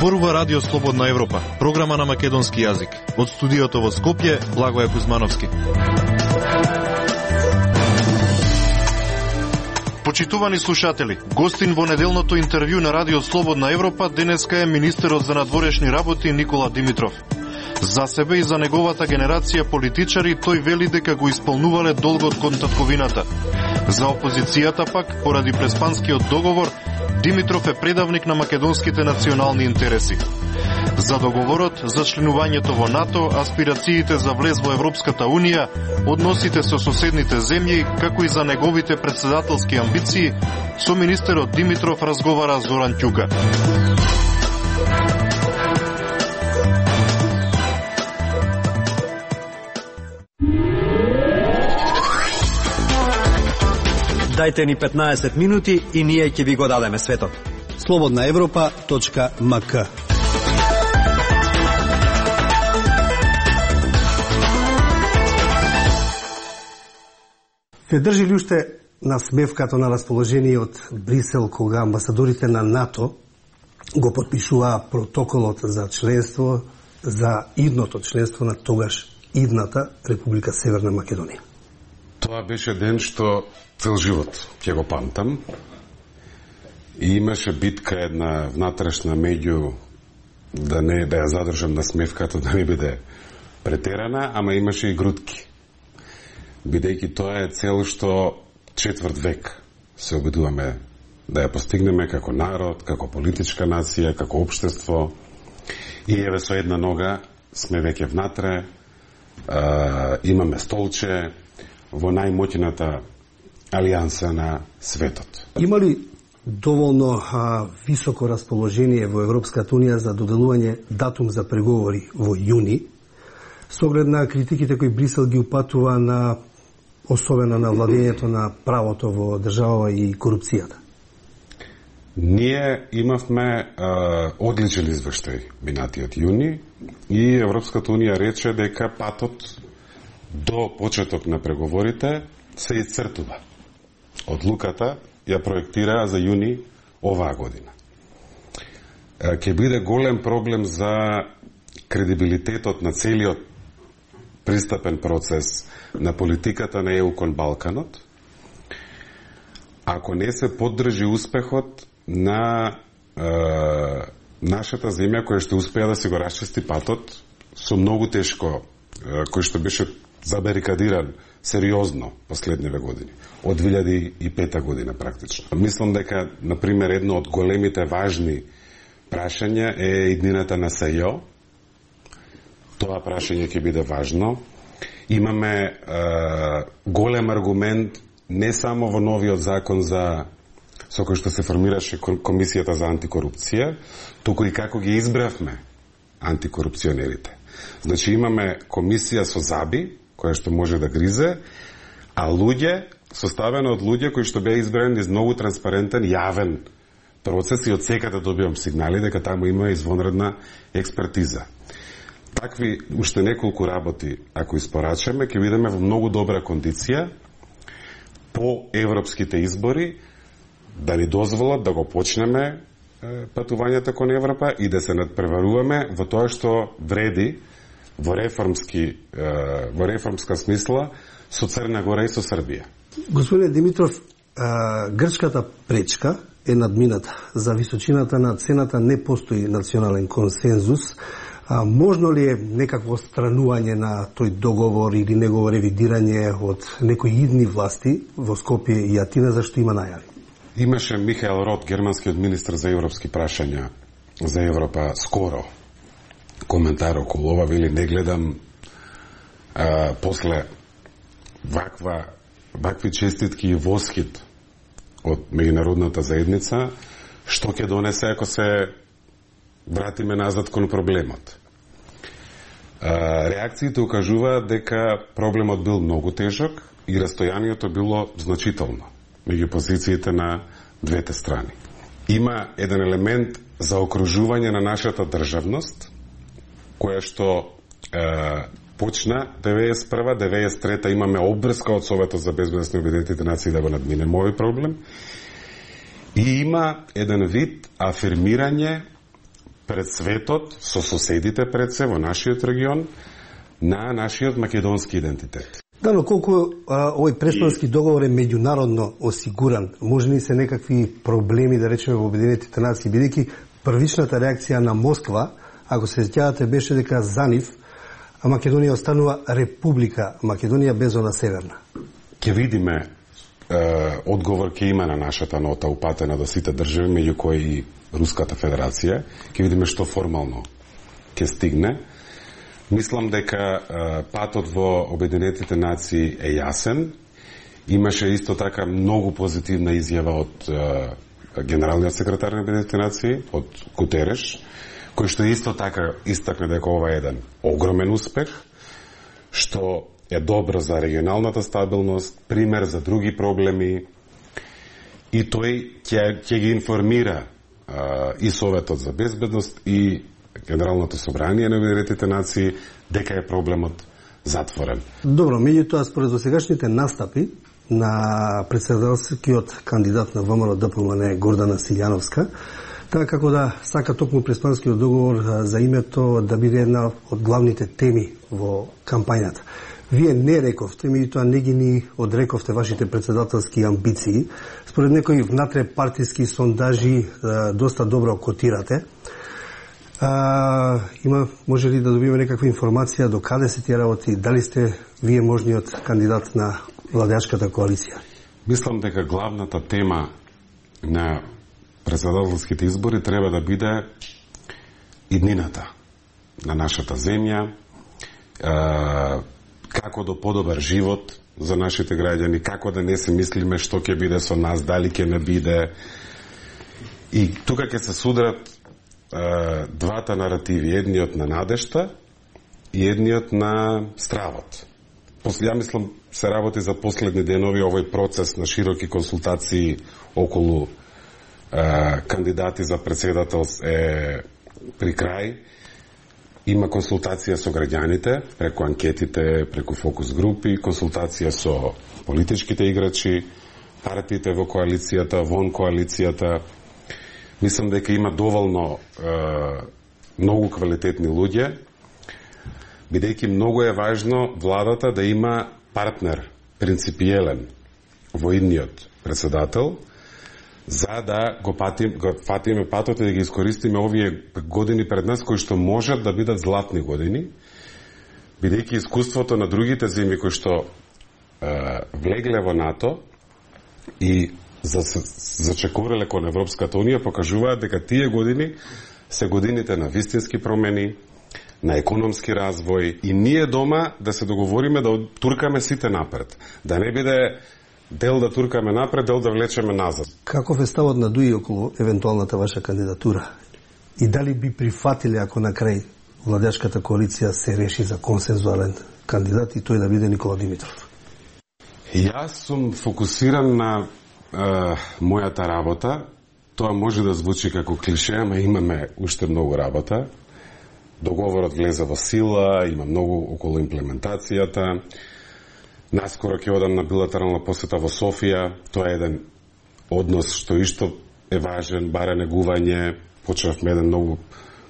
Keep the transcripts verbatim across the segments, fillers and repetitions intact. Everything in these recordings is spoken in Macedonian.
Зборува Радио Слободна Европа, програма на македонски јазик. Од студиото во Скопје, Благоје Кузмановски. Почитувани слушатели, гостин во неделното интервју на Радио Слободна Европа денеска е министерот за надворешни работи Никола Димитров. За себе и за неговата генерација политичари тој вели дека го исполнувале долгот кон татковината. За опозицијата пак, поради преспанскиот договор, Димитров е предавник на македонските национални интереси. За договорот, за членувањето во НАТО, аспирациите за влез во Европската Унија, односите со соседните земји, како и за неговите председателски амбиции, со министерот Димитров разговара Зоран Ќука. Дајте ни петнаесет минути и ние ќе ви го дадеме светот. слободна европа точка ем ка. Ве држи ли уште на смевкато на расположение од Брисел кога амбасадорите на НАТО го подпишуваа протоколот за членство, за идното членство на тогаш идната Република Северна Македонија? Тоа беше ден што цел живот ќе го памтам. И имаше битка една внатрешна меѓу да не да ја задржам на смевката, да не биде претерана, ама имаше и грудки. Бидејќи тоа е цел што четврт век се обидуваме да ја постигнеме како народ, како политичка нација, како општество. И еве со една нога сме веќе внатре, а, имаме столче во најмоќната алијанса на светот. Има ли доволно а, високо расположение во Европската Унија за доделување датум за преговори во јуни, со оглед на критиките кои Брисел ги упатува на особено на владењето на правото во држава и корупцијата? Ние имавме а, одличен извештај минатиот јуни и Европската Унија рече дека патот до почеток на преговорите се исцртува. Одлуката ја проектираа за јуни оваа година. Ќе биде голем проблем за кредибилитетот на целиот пристапен процес на политиката на Е У кон Балканот, ако не се поддржи успехот на е, нашата земја која што успеа да се го расчисти патот со многу тешко, е, кој што беше забарикадиран сериозно последниве години, од две илјади и пета година практично. Мислам дека, например, едно од големите важни прашања е иднината на С Ј О. Тоа прашање ќе биде важно. Имаме е, голем аргумент не само во новиот закон за со кој што се формираше Комисијата за антикорупција, туку и како ги избравме антикорупционерите. Значи имаме комисија со заби, која што може да гризе, а луѓе, составено од луѓе кои што беа избрани низ многу транспарентен, јавен процес и од секаде добивам сигнали дека таму има извонредна експертиза. Такви уште неколку работи, ако испорачаме, ќе бидеме во многу добра кондиција по европските избори да ни дозволат да го почнеме е, патувањето кон Европа и да се надпреваруваме во тоа што вреди во реформски е, во реформска смисла со Црна Гора и со Србија. Господине Димитров, а, грчката пречка е надмината. За височината на цената не постои национален консензус. А, можно ли е некакво странување на тој договор или негово ревидирање од некои идни власти во Скопје и Атина, зашто има најави? Имаше Михаел Рот, германскиот министр за европски прашања за Европа, скоро коментар околу ова, вели не гледам а, после ваква, вакви честитки и восхит од меѓународната заедница, што ќе донесе ако се вратиме назад кон проблемот. А, реакциите укажуваат дека проблемот бил многу тежок и растојанието било значително меѓу позициите на двете страни. Има еден елемент за окружување на нашата државност, која што е, почна деветдесет и прва, деветдесет и трета имаме обврска од Советот за безбедност на Обединетите нации да го надминеме овој проблем. И има еден вид афирмирање пред светот, со соседите пред се во нашиот регион, на нашиот македонски идентитет. Да, но колку а, овој преспански договор е меѓународно осигуран, може ли се некакви проблеми, да речеме, во Обединетите нации, бидејќи првичната реакција на Москва, ако се сеќавате, беше дека за нив а Македонија останува република Македонија без она северна. Ќе видиме е, одговор ќе има на нашата нота упатена до сите држави, меѓу кои и Руската Федерација. Ќе видиме што формално ќе стигне. Мислам дека е, патот во Обединетите нации е јасен. Имаше исто така многу позитивна изјава од е, генералниот секретар на Обединетите нации, од Гутереш, кој што исто така истакна дека ова е еден огромен успех, што е добро за регионалната стабилност, пример за други проблеми, и тој ќе ќе ги информира а, и Советот за безбедност и Генералното собрание на Обединетите нации дека е проблемот затворен. Добро, меѓутоа според досегашните настапи на председателскиот кандидат на ВМРО Д П М Н Гордана Силјановска, така како да сака токму преспанскиот договор за името да биде една од главните теми во кампањата. Вие не рековте, меѓутоа не ги ни одрековте вашите председателски амбиции. Според некои внатре партиски сондажи доста добро котирате. А, има, може ли да добиеме некаква информација до каде се тие работи, дали сте вие можниот кандидат на владеачката коалиција? Мислам дека главната тема на председателските избори треба да биде иднината на нашата земја, е, како до подобар живот за нашите граѓани, како да не се мислиме што ќе биде со нас, дали ќе не биде. И тука ќе се судрат е, двата наративи, едниот на надежта и едниот на стравот. После, ја мислам, се работи за последни денови овој процес на широки консултации околу е, кандидати за председател е при крај. Има консултација со граѓаните, преку анкетите, преку фокус групи, консултација со политичките играчи, партиите во коалицијата, вон коалицијата. Мислам дека има доволно е, многу квалитетни луѓе, бидејќи многу е важно владата да има партнер, принципиелен во идниот председател, за да го, патим, го фатиме патот и да ги искористиме овие години пред нас, кои што можат да бидат златни години, бидејќи искуството на другите земји кои што е, влегле во НАТО и за, зачекореле кон Европската Унија покажуваат дека тие години се годините на вистински промени, на економски развој, и ние дома да се договориме да туркаме сите напред. Да не биде дел да туркаме напред, дел да влечеме назад. Каков е ставот на Дуи околу евентуалната ваша кандидатура? И дали би прифатиле ако на крај владеачката коалиција се реши за консензуален кандидат и тој да биде Никола Димитров? Јас сум фокусиран на е, мојата работа. Тоа може да звучи како клише, ама имаме уште многу работа. Договорот влезе во сила, има многу околу имплементацијата. Наскоро ќе одам на билатерална посета во Софија. Тоа е еден однос што исто е важен, баре негување. Почнавме еден многу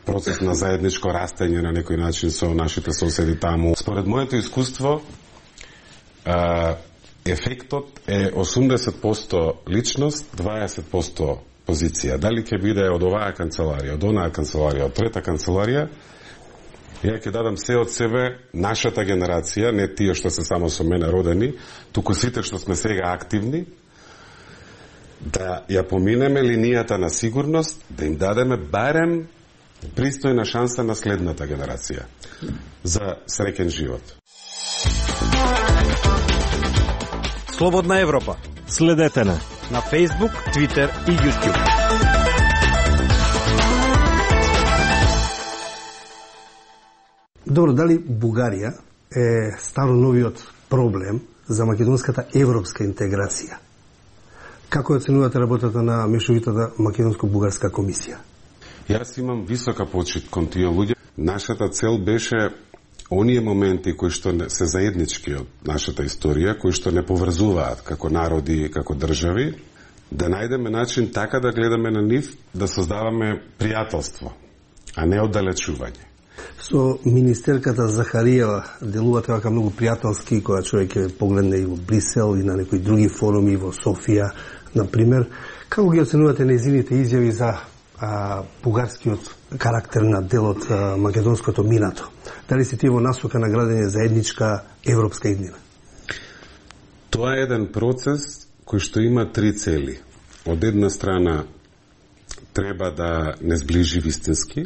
процес на заедничко растење на некој начин со нашите соседи таму. Според моето искуство, ефектот е осумдесет проценти личност, дваесет проценти позиција. Дали ќе биде од оваа канцеларија, од онаа канцеларија, од трета канцеларија, ја ќе дадам се од себе, нашата генерација, не тие што се само со мене родени, туку сите што сме сега активни, да ја поминеме линијата на сигурност, да им дадеме барем пристојна шанса на следната генерација за среќен живот. Слободна Европа. Следете на на Facebook, Twitter и YouTube. Добро, дали Бугарија е старо-новиот проблем за македонската европска интеграција? Како оценувате работата на мешовитата македонско-бугарска комисија? Јас имам висока почит кон тие луѓе. Нашата цел беше оние моменти кои што се заеднички од нашата историја, кои што не поврзуваат како народи, како држави, да најдеме начин така да гледаме на нив, да создаваме пријателство, а не оддалечување. Со министерката Захариева делувате вака многу пријателски, кога човек ќе погледне и во Брисел и на некои други форуми во Софија, например. Како ги оценувате нејзините изјави за а, бугарскиот карактер на делот а, македонското минато? Дали се тие во насока на градење заедничка европска иднина? Тоа е еден процес кој што има три цели. Од една страна треба да не сближи вистински,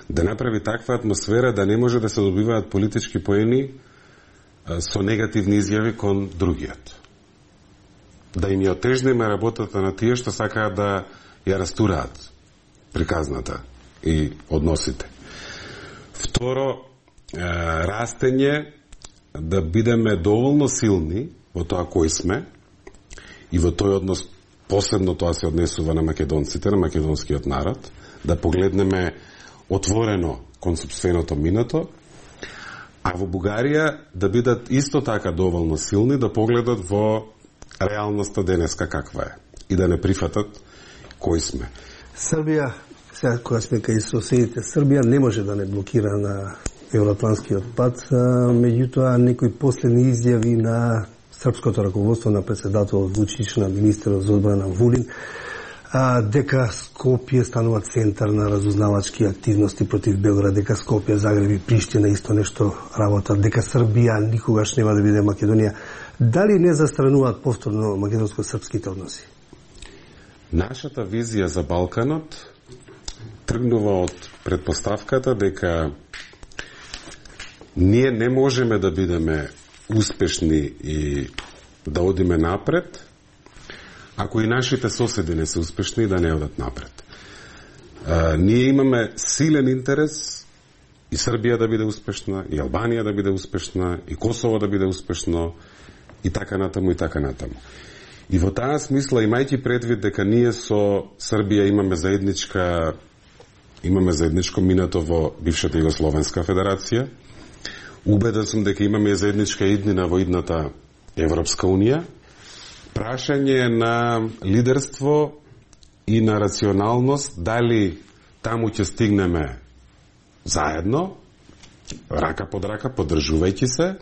да направи таква атмосфера да не може да се добиваат политички поени со негативни изјави кон другиот. Да им ја отежнеме работата на тие што сакаат да ја растураат приказната и односите. Второ, растење да бидеме доволно силни во тоа кои сме и во тој однос посебно тоа се однесува на македонците, на македонскиот народ, да погледнеме отворено кон сопственото минато, а во Бугарија да бидат исто така доволно силни да погледат во реалноста денеска каква е и да не прифатат кои сме. Србија, сега кога сме кај соседите, Србија не може да не блокира на евроатлантскиот пат, меѓутоа некои последни изјави на српското раководство, на председател Вучич, на министерот за одбрана Вулин, а, дека Скопје станува центар на разузнавачки активности против Белград, дека Скопје, Загреб и Приштина исто нешто работат, дека Србија никогаш нема да биде Македонија. Дали не застрануваат повторно македонско-српските односи? Нашата визија за Балканот тргнува од предпоставката дека ние не можеме да бидеме успешни и да одиме напред, ако и нашите соседи не се успешни да не одат напред. А, ние имаме силен интерес и Србија да биде успешна, и Албанија да биде успешна, и Косово да биде успешно, и така натаму, и така натаму. И во таа смисла, имајќи предвид дека ние со Србија имаме заедничка имаме заедничко минато во бившата Југословенска федерација, убеден сум дека имаме заедничка иднина во идната Европска унија, прашање на лидерство и на рационалност, дали таму ќе стигнеме заедно, рака под рака, поддржувајќи се,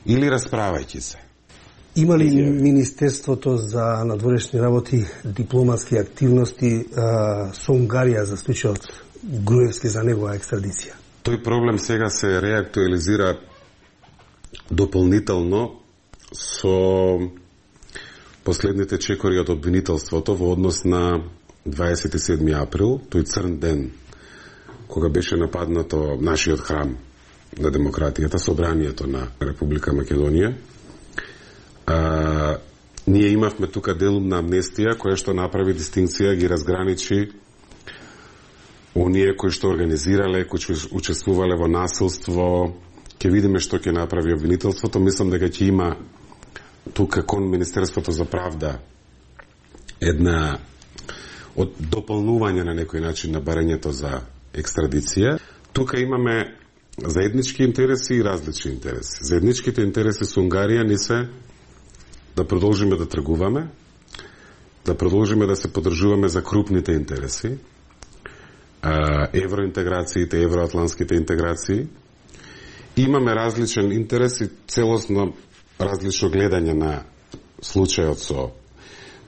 или расправајќи се. Има ли Министерството за надворешни работи дипломатски активности а, со Унгарија за случајот Груевски за негова екстрадиција? Тој проблем сега се реактуализира дополнително со последните чекори од обвинителството во однос на дваесет и седми април, тој црн ден, кога беше нападнато нашиот храм на демократијата, собранието на Република Македонија. А, ние имавме тука делумна амнестија, која што направи дистинкција, ги разграничи оние кои што организирале, кои што учествувале во насилство. Ќе видиме што ќе направи обвинителството. Мислам дека ќе има тука кон Министерството за правда една од дополнување на некој начин на барањето за екстрадиција. Тука имаме заеднички интереси и различни интереси. Заедничките интереси со Унгарија ни се да продолжиме да тргуваме, да продолжиме да се поддржуваме за крупните интереси, евроинтеграциите, евроатлантските интеграции. Имаме различен интерес и целосно различно гледање на случајот со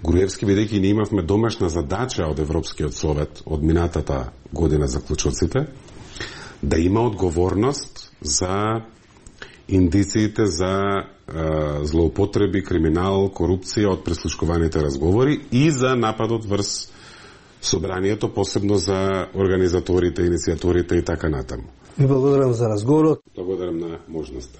Груевски, бидејќи ние имавме домашна задача од Европскиот совет од минатата година заклучоците, да има одговорност за индициите за е, злоупотреби, криминал, корупција од прислушкуваните разговори и за нападот врз собранието, посебно за организаторите, иницијаторите и така натаму. Ви благодарам за разговорот. Благодарам на можноста.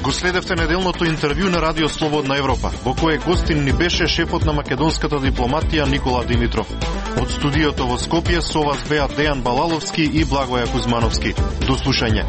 Го следевте неделното интервју на Радио Слободна Европа, во кое гостин ни беше шефот на македонската дипломатија Никола Димитров. Од студиото во Скопје со вас беа Дејан Балаловски и Благоја Кузмановски. До слушање.